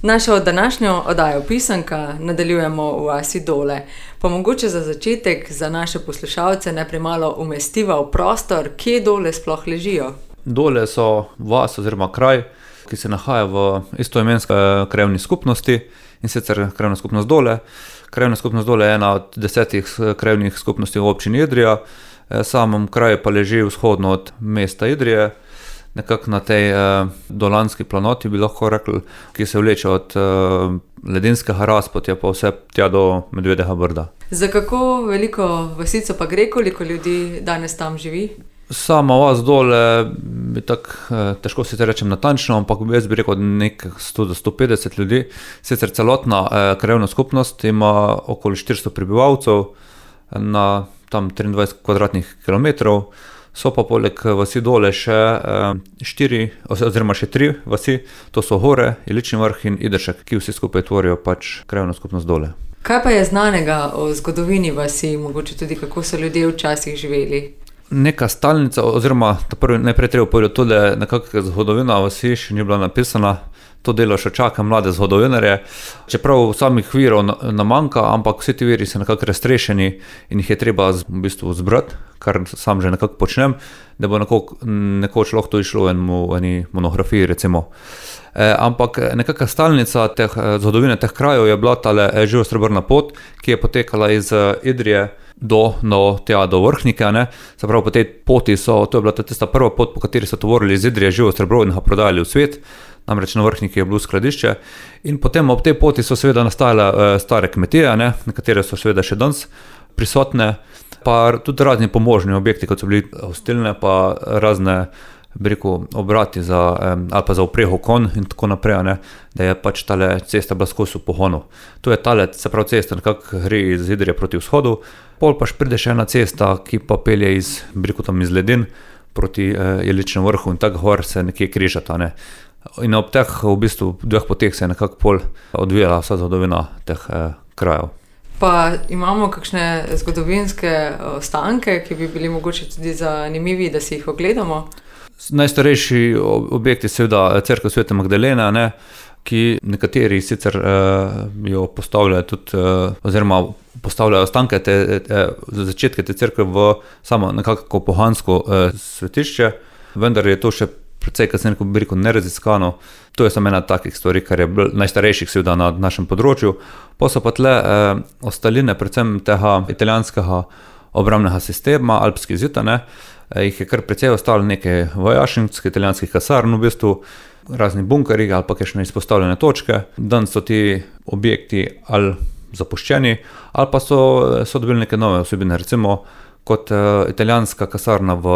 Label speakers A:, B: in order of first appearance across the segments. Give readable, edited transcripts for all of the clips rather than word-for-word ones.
A: Našo današnjo oddajo Pisanka nadaljujemo v vasi Dole. Pa mogoče za začetek za naše poslušalce najprej malo umestiva v prostor, kje Dole sploh ležijo.
B: Dole so vas oziroma kraj, ki se nahaja v istoimenski krajevni skupnosti, in sicer krajevna skupnost Dole. Krajevna skupnost Dole je ena od 10 krajevnih skupnosti v občini Idrija. Samem kraju pa leži vzhodno od mesta Idrije, nekako na tej dolanski planoti, bi lahko rekli, ki se vleče od ledinskega razpotja pa vse tja do Medvedjega Brda.
A: Za kako veliko vasico pa gre, koliko ljudi danes tam živi?
B: Sama vas Dole bi tako, težko si te rečem natančno, ampak jaz bi rekel nekaj 100 do 150 ljudi. Sicer celotna krajevna skupnost ima okoli 400 prebivalcev na tam 23 kvadratnih kilometrov. So pa poleg vasi Dole še 3 vasi, to so Hore, Ilični Vrh in Idršek, ki vsi skupaj tvorijo pač krajevno skupnost Dole.
A: Kaj pa je znanega o zgodovini vasi, mogoče tudi kako so ljudje včasih živeli?
B: Neka stalnica, oziroma najprej treba povedati to, da je nekako zgodovina vasi še ni bila napisana. To delo še čaka mlade zgodovinarje. Čeprav samih virov nam manjka, ampak vsi ti viri so nekako raztrešeni in jih je treba v bistvu zbrati, kar sam že nekako počnem, da bo nekoč lahko to išlo v eni monografiji recimo. Ampak nekakva stalnica zgodovine teh krajev je bila tale živosrebrna pot, ki je potekala iz Idrije do Vrhnike, ne. Se pravi, po tej poti to je bila tista prva pot, po kateri so tovorili iz Idrije živo srebro in ga prodajali v svet. Namreč na Vrhniki je bilo skladišče in potem ob tej poti so seveda nastajale stare kmetije, ne, nekatere so seveda še danes prisotne, pa tudi razni pomožni objekti, kot so bili hostilne, pa razne, bi rekel, obrati ali pa za vpreho konj in tako naprej, ne, da je pač tale cesta bila skozi v pohonu. To je tale, se pravi, cesta nekako gre iz Idrije proti vzhodu, pol pa pride še ena cesta, ki pa pelje iz Ledin proti Iličnemu Vrhu in tako gor se nekje križata, ne. In ob teh v bistvu dveh poteh se je nekako pol odvijala vsa zgodovina teh krajev.
A: Pa imamo kakšne zgodovinske ostanke, ki bi bili mogoče tudi zanimivi, da si jih ogledamo?
B: Najstarejši objekti seveda cerkev Svete Magdalene, ne, ki nekateri sicer jo postavljajo tudi, oziroma postavljajo ostanke začetke te cerkve v samo nekako pohansko svetišče, vendar je to še precej kasneje, bi rekel, neraziskano. To je samo ena takih stvari, kar je najstarejših seveda na našem področju. Pa so pa tle ostaline predvsem tega italijanskega obrambnega sistema, alpski zid, ne. Jih je kar precej ostalo nekaj vojašnic, italijanskih kasarn v bistvu, razni bunkerji ali pa kakšne izpostavljene točke. Danes so ti objekti ali zapuščeni, ali pa so dobili neke nove vsebine, recimo kot italijanska kasarna v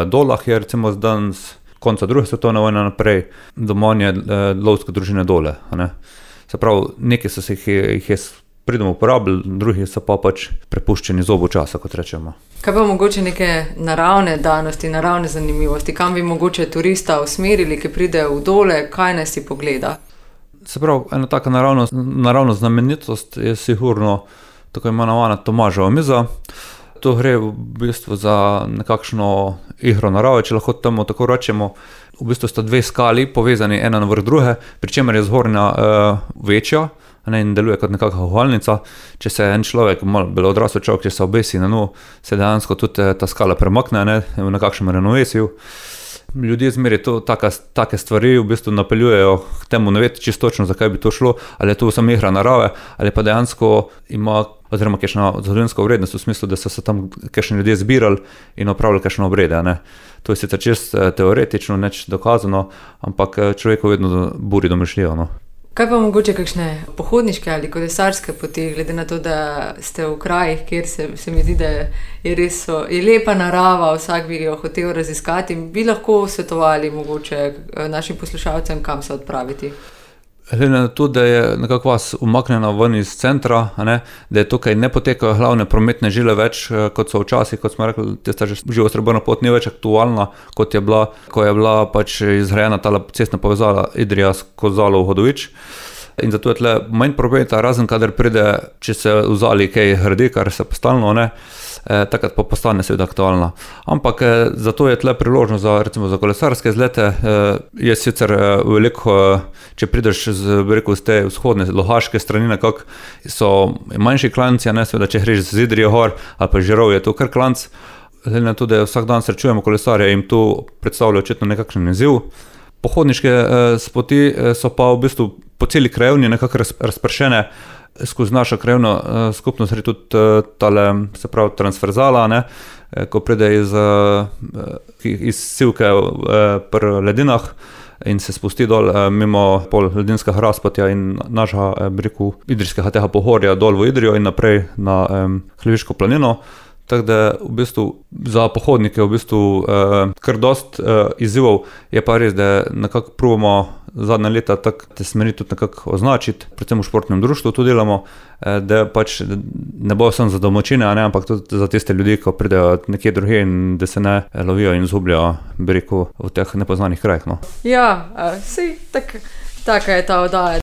B: Dolah je recimo danes konca druge svetovne vojne naprej domovanje lovske družine Dole, ne. Se pravi, nekaj so se jih pridemo uporabili, drugi so pa pač prepuščeni zobu časa, kot rečemo.
A: Kaj pa mogoče neke naravne danosti, naravne zanimivosti, kam bi mogoče turista usmerili, ki pride v Dole, kaj naj si pogleda?
B: Se pravi, ena taka naravna znamenitost je sigurno tako imenovana Tomaževa miza. To gre v bistvu za nekakšno igro narave, če lahko temu tako rečemo. V bistvu sta dve skali povezani ena na vrh druge, pri čemer je zgornja večja, ne, in deluje kot nekakšna uhalnica. Če se en človek, malo bolj odrasel človek, če se obesi na dnu, se dejansko tudi ta skala premakne, ne, v nekakšnem ravnovesju. Ljudje zmeraj take stvari v bistvu napeljujejo k temu, ne vedi čisto točno, zakaj bi to šlo, ali je to samo igra narave, ali pa dejansko ima oziroma kakšna zgodovinska vrednost v smislu, da so se tam kakšni ljudje zbirali in opravljali kakšne obrede, ne. To je sicer čisto teoretično, nič dokazano, ampak človeku vedno buri domišljijo, no.
A: Kaj pa mogoče kakšne pohodniške ali kolesarske poti, glede na to, da ste v krajih, kjer se mi zdi, da je lepa narava, vsak bi jo hotel raziskati, bi lahko svetovali mogoče našim poslušalcem, kam se odpraviti?
B: Glede na to, da je nekako vas umaknjena ven iz centra, ne, da je tukaj ne potekajo glavne prometne žile več, kot so včasih, kot smo rekli, tista živosrebrna pot ni več aktualna, kot je bila pač izgrajena ta cestna povezava Idrija skozi Zalov Hodovič. in zato je tle manj prometa, razen kadar pride, če se v Zali kaj hrdi, kar se postalno, ne, takrat pa postane seveda aktualna. Ampak zato je tle priložnost za, recimo, za kolesarske izlete, je sicer veliko, če prideš z te vzhodne, lohaške strani nekako, so manjši klanci, ne, seveda, če greš z Idrije gor, ali pa Žirov je to kar klanc, glede na to, da vsak dan srečujemo kolesarje, jim to predstavlja očitno nekakšen izziv. Pohodniške poti so pa v bistvu po celi krajevni nekako razpršene, skozi našo krajevno skupnost gre tudi tale, se pravi, transverzala, ne, ko pride iz Sivke pri Ledinah in se spusti dol mimo pol Ledinskega razpotja in našega, idrijskega tega pohorja dol v Idrijo in naprej na Hljeviško planino. Tako da v bistvu za pohodnike v bistvu kar dost izzivov, je pa res, da nekako probamo zadnja leta tako te smeri tudi nekako označiti, predvsem v športnem društvu to delamo, da pač ne bo samo za domačine, ne, ampak tudi za tiste ljudi, ko pridejo nekje drugje in da se ne lovijo in izgubljajo, v teh nepoznanih krajih. No.
A: Ja, sej, taka je ta oddaja.